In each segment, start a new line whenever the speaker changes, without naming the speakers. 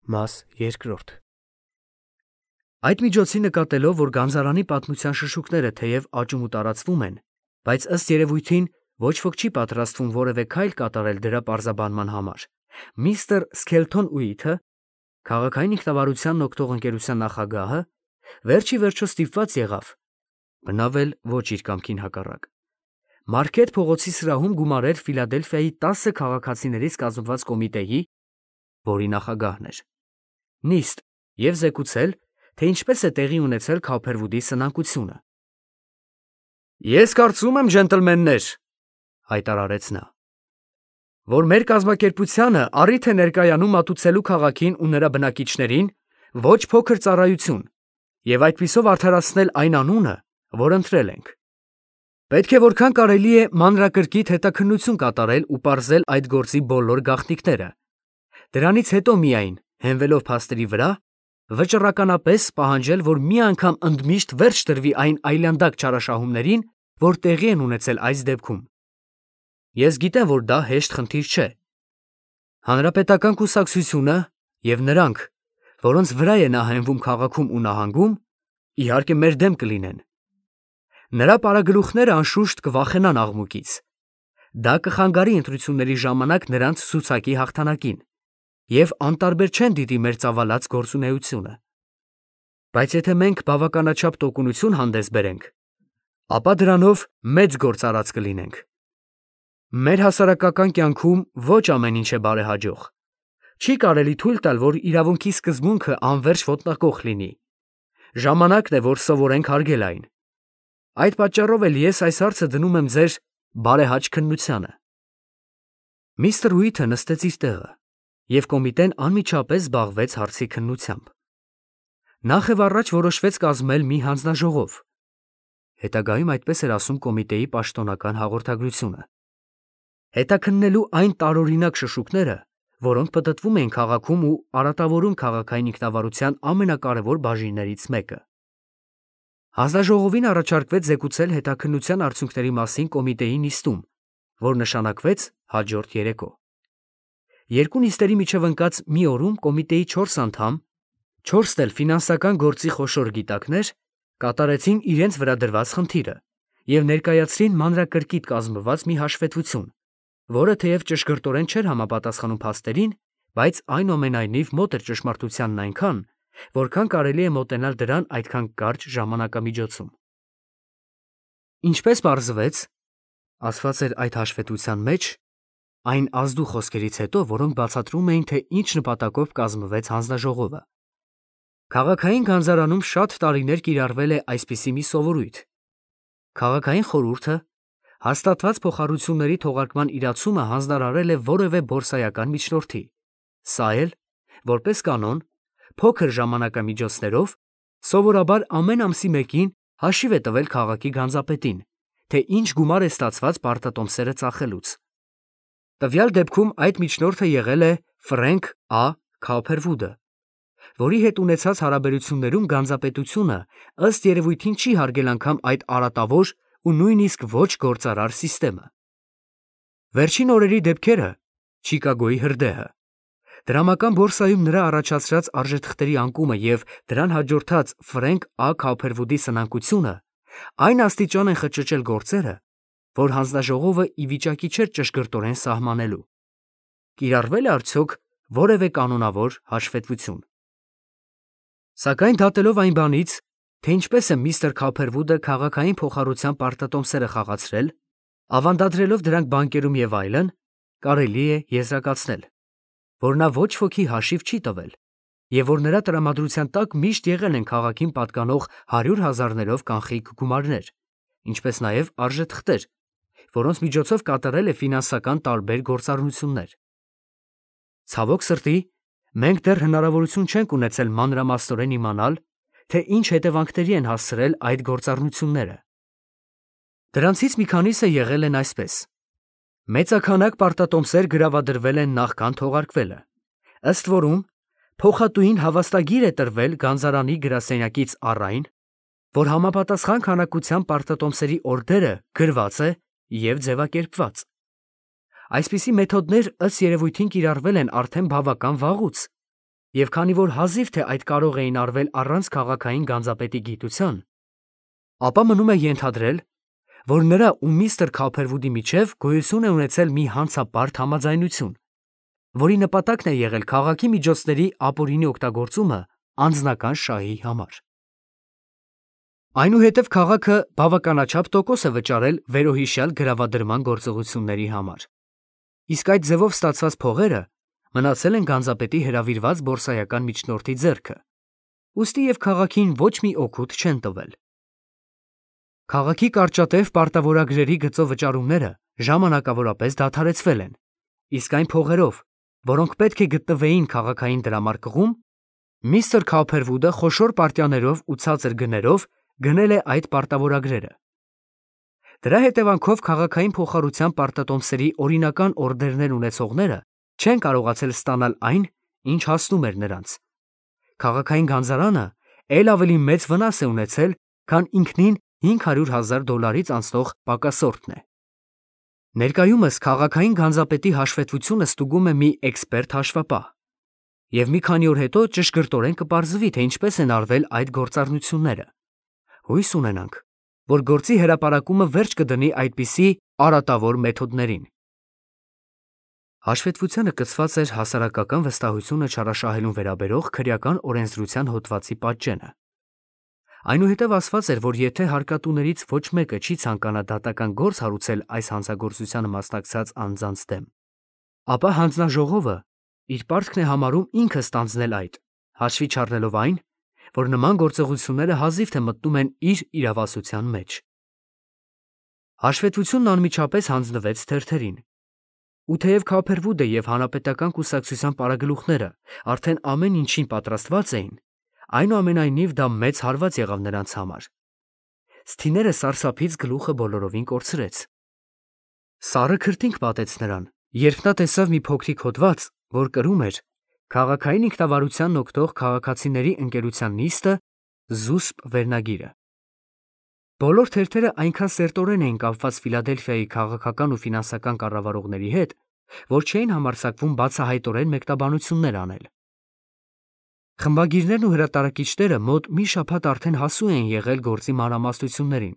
Մաս երկրորդ Այդ միջոցի նկատելով, որ Գանձարանի պատմության շշուկները թեև աճում ու տարածվում են, բայց ըստ երևույթին ոչ ոք չի պատրաստվում որևէ քայլ կատարել դրա պարզաբանման համար, միստր Սքելթոն-Ուիթը, քաղաքային ինքնավարությանն օգտող ընկերության նախագահը, վերջի վերջո ստիպված եղավ, բնավ էլ ոչ իր կամքին հակառակ, Մարքեթ փողոցի սրահում գումարել Ֆիլադելֆիայի 10 քաղաքացիներից կազմված կոմիտեի, որի նախագահն էր, նիստ և զեկուցել, թե ինչպես է տեղի ունեցել Քոփերվուդի սնանկությունը։ «Ես կարծում եմ, ջենտլմեններ, ֊ հայտարարեց նա, ֊ որ մեր կազմակերպությանը առիթ է ներկայանում մատուցելու քաղաքին ու նրա բնակիչներին ոչ փոքր ծառայություն և այդպիսով արդարացնել այն անունը, որ ընտրել ենք։ Պետք է որքան կարելի է մանրակրկիտ հետաքննություն կատարել ու պարզել այդ գործի բոլոր գաղտնիքները, դրանից հետո միայն, հենվելով փաստերի վրա, վճռականապես պահանջել, որ մի անգամ ընդմիշտ վերջ տրվի այն այլանդակ չարաշահումներին, որ տեղի են ունեցել այս դեպքում։ Ես գիտեմ, որ դա հեշտ խնդիր չէ։ Հանրապետական կուսակցությունը և նրանք, որոնց վրա է նա հենվում քաղաքում ու նահանգում, իհարկե մեր դեմ կլինեն։ Նրա պարագլուխները անշուշտ կվախենան աղմուկից։ Դա կխանգարի ընտրությունների ժամանակ նրանց ցուցակի հաղթանակին և անտարբեր չեն դիտի մեր ծավալած գործունեությունը։ Բայց եթե մենք բավականաչափ տոկունություն հանդես բերենք, ապա դրանով մեծ գործ արած կլինենք։ Մեր հասարակական կյանքում ոչ ամեն ինչ է բարեհաջող։ Չի կարելի թույլ տալ, որ իրավունքի սկզբունքը անվերջ ոտնահարող լինի։ Ժամանակն է, որ սովորենք հարգել այն։ Այդ պատճառով էլ ես այս հարցը դնում եմ ձեր բարեհաճ քննությանը։ Միստր Ուիթը նստեց իր տեղը, և կոմիտեն անմիջապես զբաղվեց հարցի քննությամբ։ Նախ և առաջ որոշվեց կազմել մի հանձնաժողով, հետագայում այդպես էր ասում կոմիտեի պաշտոնական հաղորդագրությունը, հետաքննելու այն տարօրինակ շշուկները, որոնք պտտվում էին քաղաքում ու արատավորում քաղաքային ինքնավարության ամենակարևոր բաժիններից մեկը։ Հանձնաժողովին առաջարկվեց զեկուցել հետաքննության արդյունքների մասին կոմիտեի նիստում, որ նշանակվեց հաջորդ երեկո։ Երկու նիստերի միջև ընկած մի օրում կոմիտեի 4 անդամ, 4 էլ ֆինանսական գործի խոշոր գիտակներ, կատարեցին իրենց վրա դրված խնդիրը և ներկայացրին մանրակրկիտ կազմված մի հաշվետվություն, որը թեև ճշգրտորեն չէր համապատասխանում փաստերին, բայց այնուամենայնիվ մոտ էր ճշմարտությանն այնքան, որքան կարելի է մոտենալ դրան այդքան կարճ ժամանակամիջոցում։ Ինչպես պարզվեց, ասված էր այդ հաշվետվության մեջ, այն ազդու խոսքերից հետո, որոնք բացատրում էին, թե ինչ նպատակով կազմվեց հանձնաժողովը։ Քաղաքային գանձարանում շատ տարիներ կիրառվել է այսպիսի մի սովորույթ. քաղաքային խորհուրդը հաստատված փոխառությունների թողարկման իրացումը հանձնարարել է որևէ բորսայական միջնորդի, սա էլ, որպես կանոն, փոքր ժամանակամիջոցներով, սովորաբար ամեն ամսի մեկին հաշիվ է տվել քաղաքի գանձապետին, թե ինչ գումար է ստացված պարտատոմսերը ծախելուց։ Տվյալ դեպքում այդ միջնորդը եղել է Ֆրենք Ա. Քոփերվուդը, որի հետ ունեցած հարաբերություններում գանձապետությունը ըստ երևույթին չի հարգել անգամ այդ արատավոր ու նույնիսկ ոչ գործարար սիստեմը։ Վերջին օրերի դեպքերը, Չիկագոյի հրդեհը, դրամական բորսայում նրա առաջացրած արժեթղթերի անկումը և դրան հաջորդած Ֆրենք Ա. Քոփերվուդի սնանկությունը այն աստիճան են խճճել գործերը, որ հանձնաժողովը ի վիճակի չէր ճշգրտորեն սահմանելու։ Կիրառվե՞լ է արդյոք որևէ կանոնավոր հաշվետվություն։ Սակայն դատելով այն բանից, թե ինչպես է միստր Քոփերվուդը քաղաքային փոխառության պարտատոմսերը խաղացրել, ավանդադրելով դրանք բանկերում և այլն, կարելի է եզրակացնել, որ նա ոչ ոքի հաշիվ չի տվել և որ նրա տրամադրության տակ միշտ եղել են քաղաքին պատկանող 100,000-ներով կանխիկ գումարներ, ինչպես նաև արժեթղթեր, որոնց միջոցով կատարել է ֆինանսական տարբեր գործառնություններ։ Ցավոք սրտի, մենք դեռ հնարավորություն չենք ունեցել մանրամասնորեն իմանալ, թե ինչ հետևանքների են հասցրել այդ գործառնությունները։ Դրանցից մի քանիսը եղել են այսպես. մեծաքանակ պարտատոմսեր գրավադրվել են նախքան թողարկվելը, ըստ որում փոխատուին հավաստագիր է տրվել Գանձարանի գրասենյակից առ այն, որ համապատասխան քանակությամբ պարտատոմսերի օրդերը գրված է և ձևակերպված։ Այսպիսի մեթոդներ ըստ երևույթին կիրառվել են արդեն բավական վաղուց, Եվ քանի որ հազիվ թե այդ կարող էին արվել առանց քաղաքային գանձապետի գիտության, ապա մնում է ենթադրել, որ նրա ու միստր Քոփերվուդի միջև գոյություն է ունեցել մի հանցապարտ համաձայնություն, որի նպատակն է եղել քաղաքի միջոցների ապօրինի օգտագործումը անձնական շահի համար։ Այնուհետև քաղաքը բավականաչափ տոկոս է վճարել վերոհիշյալ գրավադրման գործողությունների համար։ Իսկ այդ ձևով ստացված փողերը մնացել են գանձապետի հրավիրված բորսայական միջնորդի ձեռքը, ուստի և քաղաքին ոչ մի օգուտ չեն տվել։ Քաղաքի կարճատև պարտավորագրերի գծով վճարումները ժամանակավորապես դադարեցվել են, իսկ այն փողերով, որոնք պետք է գտնվեին քաղաքային դրամարկղում, միստր Քոփերվուդը խոշոր պարտիաներով ու ցածր գներով գնել է այդ պարտավորագրերը։ Դրա հետևանքով քաղաքային փոխառության պարտատոմսերի օրինական օրդերներ ունեցողները չեն կարողացել ստանալ այն, ինչ հասնում էր նրանց։ Քաղաքային գանձարանը էլ ավելի մեծ վնաս է ունեցել, քան ինքնին $500,000 անցնող պակասորտն է։ Ներկայումս քաղաքային գանձապետի հաշվետվությունը ստուգում է մի էքսպերտ հաշվապահ, և մի քանի օր հետո ճշգրտորեն կպարզվի, թե ինչպես են արվել այդ գործառնությունները։ Հույս ունենանք, որ գործի հրապարակումը վերջ կդնի այդպիսի արատավոր մեթոդներին։ Հաշվետվությանը կցված էր հասարակական վստահությունը չարաշահելուն վերաբերող քրեական օրենսդրության հոդվածի պատճենը։ Այնուհետև ասված էր, որ եթե հարկատուներից ոչ մեկը չի ցանկանա դատական գործ հարուցել այս հանցագործությանը մասնակցած անձանց դեմ, ապա հանձնաժողովը իր պարտքն է համարում ինքը ստանձնել այդ, հաշվի չառնելով այն, որ նման գործողությունները հազիվ թե մտնում են իր իրավասության մեջ։ Հաշվետվությունն անմիջապես հանձնվեց թերթերին։ Ու թեև Քոփերվուդը և հանրապետական կուսակցության պարագլուխները արդեն ամեն ինչին պատրաստված էին, այնուամենայնիվ դա մեծ հարված եղավ նրանց համար։ Սթիները սարսափից գլուխը բոլորովին կորցրեց։ Սառը քրտինք պատեց նրան, երբ նա տեսավ մի փոքրիկ հոդված, որ կրում էր «Քաղաքային ինքնավարությանն օգտող քաղաքացիների ընկերության նիստը» զուսպ վերնագիրը։ Բոլոր թերթերը այնքան սերտորեն էին կապված Ֆիլադելֆիայի քաղաքական ու ֆինանսական կառավարողների հետ, որ չէին համարձակվում բացահայտորեն մեկնաբանություններ անել։ Խմբագիրներն ու հրատարակիչները մոտ մի շաբաթ արդեն հասու էին եղել գործի մանրամասնություններին,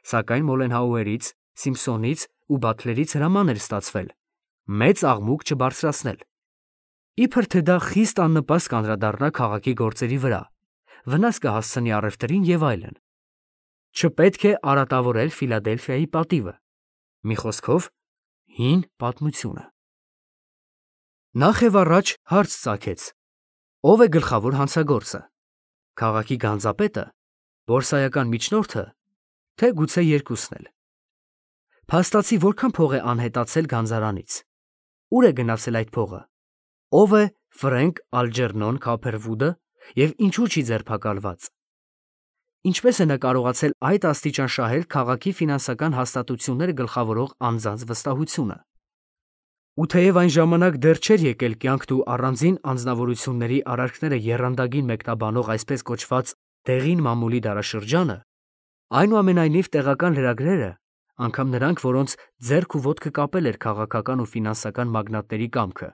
սակայն Մոլենհաուերից, Սիմփսոնից ու Բաթլերից հրաման էր ստացվել մեծ աղմուկ չբարձրացնել, իբր թե դա խիստ աննպաստ կանդրադառնա քաղաքի գործերի վրա, վնաս կհասցնի առևտրին և այլն։ Չպետք է արատավորել Ֆիլադելֆիայի պատիվը, մի խոսքով, հին պատմությունը։ Նախ և առաջ հարց ծագեց. ով է գլխավոր հանցագործը, քաղաքի գանձապետը, բորսայական միջնորդը, թե գուցե երկուսն էլ։ Փաստացի որքան փող է անհետացել գանձարանից, ուր է գնացել այդ փողը, ով է Ֆրենկ Ալջերնոն Քոփերվուդը և ինչու չի ձերբակալված։ Ինչպես է նա կարողացել այդ աստիճան շահել քաղաքի ֆինանսական հաստատությունները գլխավորող անձանց վստահությունը։ Ու թեև այն ժամանակ դեռ չէր եկել կյանքն ու առանձին անձնավորությունների արարքները եռանդագին մեկնաբանող այսպես կոչված դեղին մամուլի դարաշրջանը, այնուամենայնիվ տեղական լրագրերը, անգամ նրանք, որոնց ձեռք ու ոտքը կապել էր քաղաքական ու ֆինանսական մագնատների կամքը,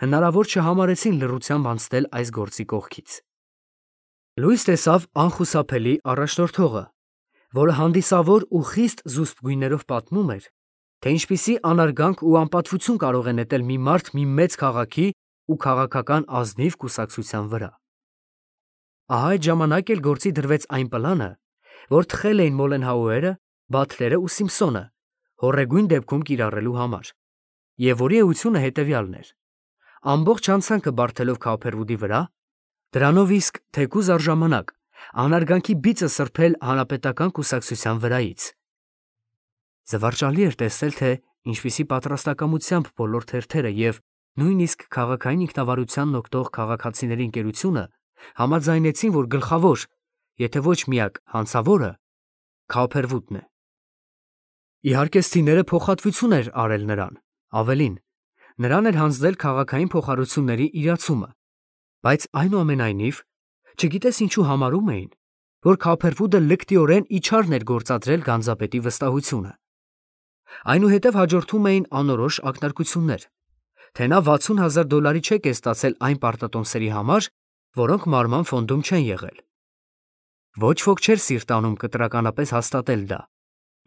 հնարավոր չհամարեցին լռությամբ անցնել այս գործի կողքից։ Լույս տեսավ անխուսափելի առաջնորդողը, որը հանդիսավոր ու խիստ զուսպ գույներով պատմում էր, թե ինչպիսի անարգանք ու անպատվություն կարող է նետել մի մարդ մի մեծ քաղաքի ու քաղաքական ազնիվ կուսակցության վրա։ Ահա այդ ժամանակ էլ գործի դրվեց այն պլանը, որ թխել էին Մոլենհաուերը, Բաթլերը ու Սիմփսոնը հոռեգույն դեպքում կիրառելու համար, և որի էությունը հետևյալն էր. ամբողջ անցանքը բարդելով Քոփերվուդի վրա, դրանով իսկ թեկուզ առժամանակ անարգանքի բիծը սրբել հանրապետական կուսակցության վրայից։ Զվարճալի էր տեսնել, թե ինչպիսի պատրաստակամությամբ բոլոր թերթերը և նույնիսկ քաղաքային ինքնավարությանն օգտող քաղաքացիների ընկերությունը համաձայնեցին, որ գլխավոր, եթե ոչ միակ հանցավորը Քոփերվուդն է։ Իհարկե, Սթիները փոխհատվություն էր արել նրան, ավելին, նրան էր հանձնել քաղաքային փոխառությունների իրացումը, բայց այնուամենայնիվ, չգիտես ինչու համարում էին, որ Քոփերվուդը լկտիորեն իջարն էր գործադրել գանձապետի վստահությունը։ Այնուհետև հաջորդում էին անորոշ ակնարկություններ, թե նա $60,000 չեք է ստացել այն պարտատոմսերի համար, որոնք մարման ֆոնդում չեն եղել։ Ոչ ոք չէր սիրտանում կտրականապես հաստատել դա,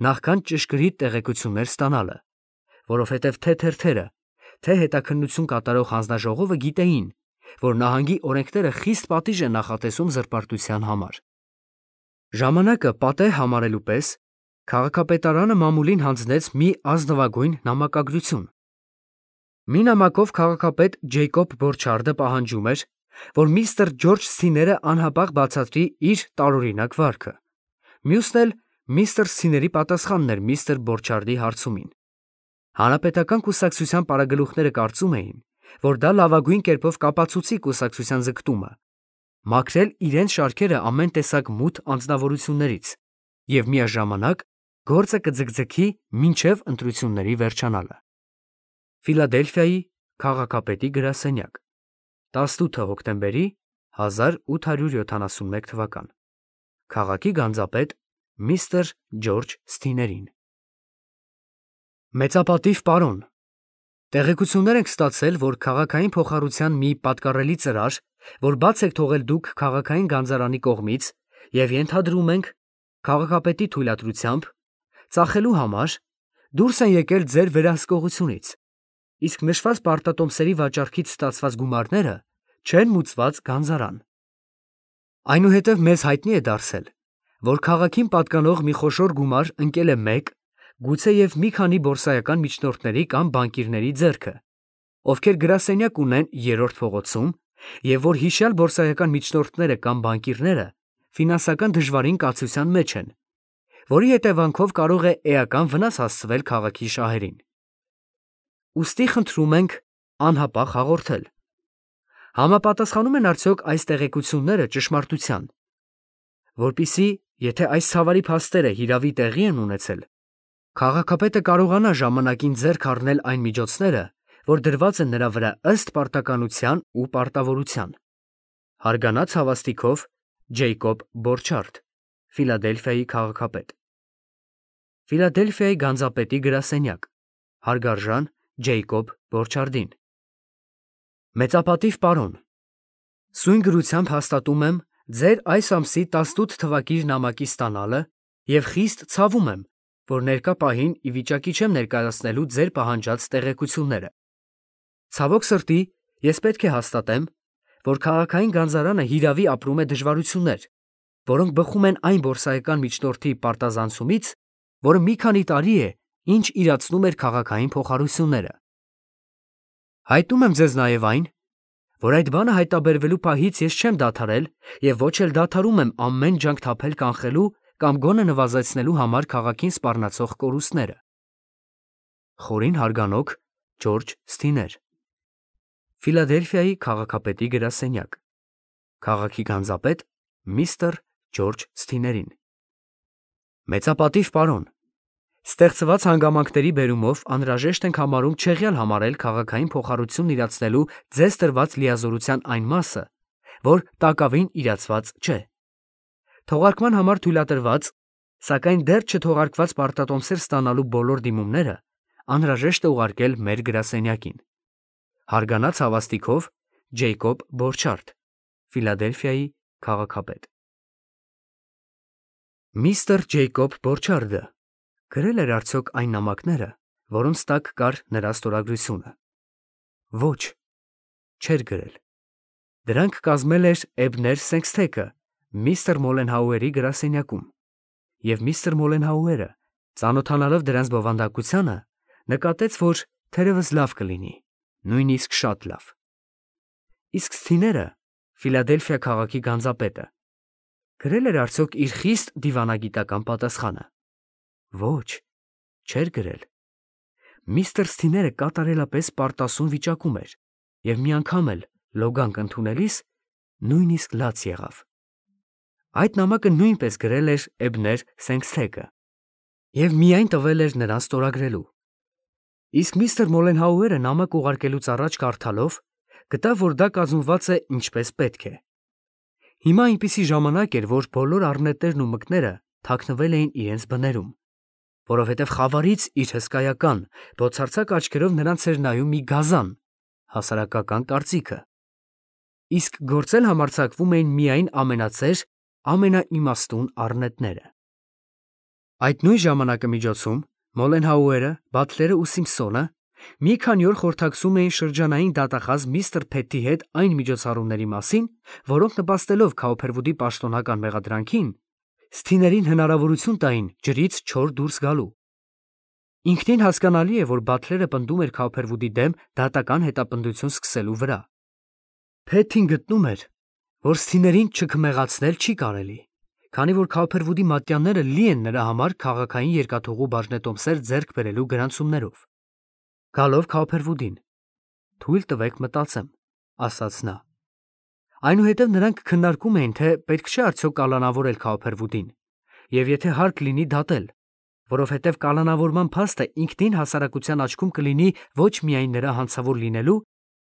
նախքան ճշգրիտ տեղեկություններ ստանալը, որովհետև թե թերթերը, թե հետաքննություն կատարող հանձնաժողովը գիտեին, որ նահանգի օրենքները խիստ պատիժ են նախատեսում զրպարտության համար։ Ժամանակը պատեհ համարելու պես քաղաքապետարանը մամուլին հանձնեց մի ազնվագույն նամակագրություն։ Մի նամակով քաղաքապետ Ջեյկոբ Բորչարդը պահանջում էր, որ միստր Ջորջ Սթիները անհապաղ բացատրի իր տարօրինակ վարքը։ Մյուսն էլ միստր Սթիների պատասխանն էր միստր Բորչարդի հարցումին։ Հանրապետական կուսակցության պարագլուխները կարծում էին, որ դա լավագույն կերպով կապացուցի կուսակցության ձգտումը, մաքրել իրենց շարքերը ամեն տեսակ մութ անձնավորություններից և միաժամանակ գործը կձգձգի մինչև ընտրությունների վերջանալը։ Ֆիլադելֆիայի քաղաքապետի գրասենյակ 18 հոկտեմբերի 1871 թվական Քաղաքի գանձապետ միստր Ջորջ Սթիներին։ Մեծապատիվ պարոն, տեղեկություններ ենք ստացել, որ քաղաքային փոխառության մի պատկառելի ծրար, որ բաց եք թողել դուք քաղաքային գանձարանի կողմից և ենթադրում ենք քաղաքապետի թույլատրությամբ, ծախելու համար դուրս են եկել ձեր վերահսկողությունից, իսկ նշված պարտատոմսերի վաճառքից ստացված գումարները չեն մուծված գանձարան։ Այնուհետև մեզ հայտնի է դարձել, որ քաղաքին պատկանող մի խոշոր գումար ընկել է մեկ, գուցեև մի քանի բորսայական միջնորդների կամ բանկիրների ձեռքը, ովքեր գրասենյակ ունեն Երրորդ փողոցում, և որ հիշյալ բորսայական միջնորդները կամ բանկիրները ֆինանսական դժվարին կացության մեջ են, որի հետևանքով կարող է էական վնաս հասցվել քաղաքի շահերին։ Ուստի խնդրում ենք անհապաղ հաղորդել. համապատասխանում են արդյոք այս տեղեկությունները ճշմարտության, որպեսզի, եթե այս ցավալի փաստերը հիրավի տեղի են ունեցել, քաղաքապետը կարողանա ժամանակին ձեռք առնել այն միջոցները, որ դրված են նրա վրա ըստ պարտականության ու պարտավորության։ Հարգանած հավաստիքով Ջեյկոբ Բորչարդ, Ֆիլադելֆիայի քաղաքապետ։ Ֆիլադելֆիայի գանձապետի գրասենյակ, հարգարժան Ջեյկոբ Բորչարդին։ Մեծապատիվ պարոն, սույն գրությամբ հաստատում եմ ձեր այս ամսի 18 թվակիր նամակի ստանալը և խիստ ցավում եմ, որ ներկա պահին ի վիճակի չեմ ներկայացնելու ձեր պահանջած տեղեկությունները։ Ցավոք սրտի, ես պետք է հաստատեմ, որ քաղաքային գանձարանը հիրավի ապրում է դժվարություններ, որոնք բխում են այն բորսայական միջնորդի պարտազանցումից, որը մի քանի տարի է, ինչ իրացնում էր քաղաքային փոխառությունները։ Հայտնում եմ ձեզ նաև այն, որ այդ բանը հայտաբերվելու պահից ես չեմ դադարել և ոչ էլ դադարում եմ ամեն ջանք թափել կանխելու կամ գոնե նվազեցնելու համար քաղաքին սպառնացող կորուստները։ Խորին հարգանոք Ջորջ Սթիներ, Ֆիլադելֆիայի քաղաքապետի գրասենյակ, քաղաքի գանձապետ միստր Ջորջ Սթիներին։ Մեծապատիվ պարոն, ստեղծված հանգամանքների բերումով անհրաժեշտ ենք համարում չեղյալ համարել քաղաքային փոխառությունն իրացնելու ձեզ տրված լիազորության այն մասը, որ տակավին իրացված չէ։ Թողարկման համար թույլատրված, սակայն դեռ չթողարկված պարտատոմսեր ստանալու բոլոր դիմումները անհրաժեշտ է ուղարկել մեր գրասենյակին։ Հարգանած հավաստիքով Ջեյկոբ Բորչարդ, Ֆիլադելֆիայի քաղաքապետ։ Միստր Ջեյկոբ Բորչարդը գրել էր արդյոք այն նամակները, որոնց տակ կար նրա ստորագրությունը։ Ոչ, չէր գրել։ Դրանք կազմել էր Էբներ Սենքսթեքը միստր Մոլենհաուերի գրասենյակում, և միստր Մոլենհաուերը, ծանոթանալով դրանց բովանդակությանը, նկատեց, որ թերևս լավ կլինի, նույնիսկ շատ լավ։ Իսկ Սթիները, Ֆիլադելֆիա քաղաքի գանձապետը, գրել էր արդյոք իր խիստ դիվանագիտական պատասխանը։ Ոչ, չէր գրել։ Միստր Սթիները կատարելապես պարտասուն վիճակում էր և մի անգամ էլ լոգանք ընդունելիս նույնիսկ լաց եղավ։ Այդ նամակը նույնպես գրել էր Էբներ Սենքսթեքը և միայն տվել էր նրան ստորագրելու։ Իսկ միստր Մոլենհաուերը նամակ ուղարկելուց առաջ կարդալով գտավ, որ դա կազմված է ինչպես պետք է։ Հիմա այնպիսի ժամանակ էր, որ բոլոր առնետներն ու մկները թաքնվել էին իրենց բներում, որովհետև խավարից իր հսկայական, բոցարձակ աչքերով նրանց էր նայում մի գազան, հասարակական կարծիքը։ Իսկ գործել համարձակվում էին միայն ամենածեր, ամենաիմաստուն առնետները։ Այդ նույն ժամանակամիջոցում Մոլենհաուերը, Բաթլերը ու Սիմփսոնը մի քանի օր խորհրդակցում էին շրջանային դատախազ միստր Փեթի հետ այն միջոցառումների մասին, որոնք նպաստելով Քաուփերվուդի պաշտոնական մեղադրանքին, Սթիներին հնարավորություն տային ջրից չոր դուրս գալու։ Ինքնին հասկանալի է, որ Բաթլերը պնդում էր Քաուփերվուդի դեմ դատական հետապնդություն սկսելու վրա։ Փեթին գտնում էր, որ Սթիներին չքմեղացնել չի կարելի, քանի որ Քաուփերվուդի մատյանները լի են նրա համար քաղաքային երկաթուղու բաժնետոմսեր ձեռք բերելու գրանցումներով։ Գալով Քաուփերվուդին, թույլ տվեք մտածեմ, ասաց նա։ Այնուհետև նրանք քննարկում էին, թե պետք չէ արդյոք կալանավորել Քաուփերվուդին, եւ եթե հարկ լինի դատել, որովհետև կալանավորման փաստը ինքնին հասարակության աչքում կլինի ոչ միայն նրա հանցավոր լինելու,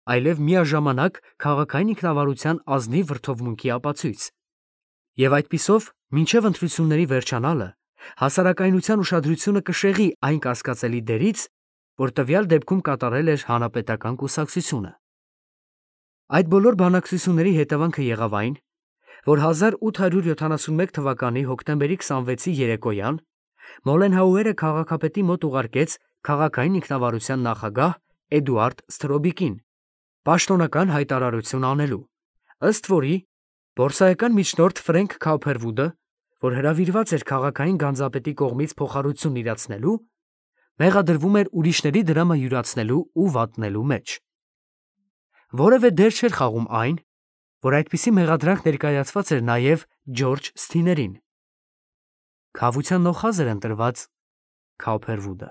այլև միաժամանակ քաղաքային ինքնավարության ազնիվ վրդովմունքի ապացույց։ Եվ այդպիսով, մինչև ընտրությունների վերջանալը, հասարակայնության ուշադրությունը կշեղի այն կասկածելի դերից, որ տվյալ դեպքում կատարել էր հանրապետական կուսակցությունը։ Այդ բոլոր բանակցությունների հետևանքը եղավ այն, որ 1871 թվականի հոկտեմբերի 26-ի երեկոյան Մոլենհաուերը քաղաքապետի մոտ ուղարկեց քաղաքային ինքնավարության նախագահ Էդուարդ Սթրոբիկին պաշտոնական հայտարարություն անելու, ըստ որի բորսայական միջնորդ Ֆրենկ Քաուփերվուդը, որ հրավիրված էր քաղաքային գանձապետի կողմից փոխառություն իրացնելու, մեղադրվում էր ուրիշների դրամը յուրացնելու ու վատնելու մեջ։ Որևէ դեր չէր խաղում այն, որ այդպիսի մեղադրանք ներկայացված էր նաև Ջորջ Սթիներին։ Քավության նոխազ էր ընտրված Քաուփերվուդը։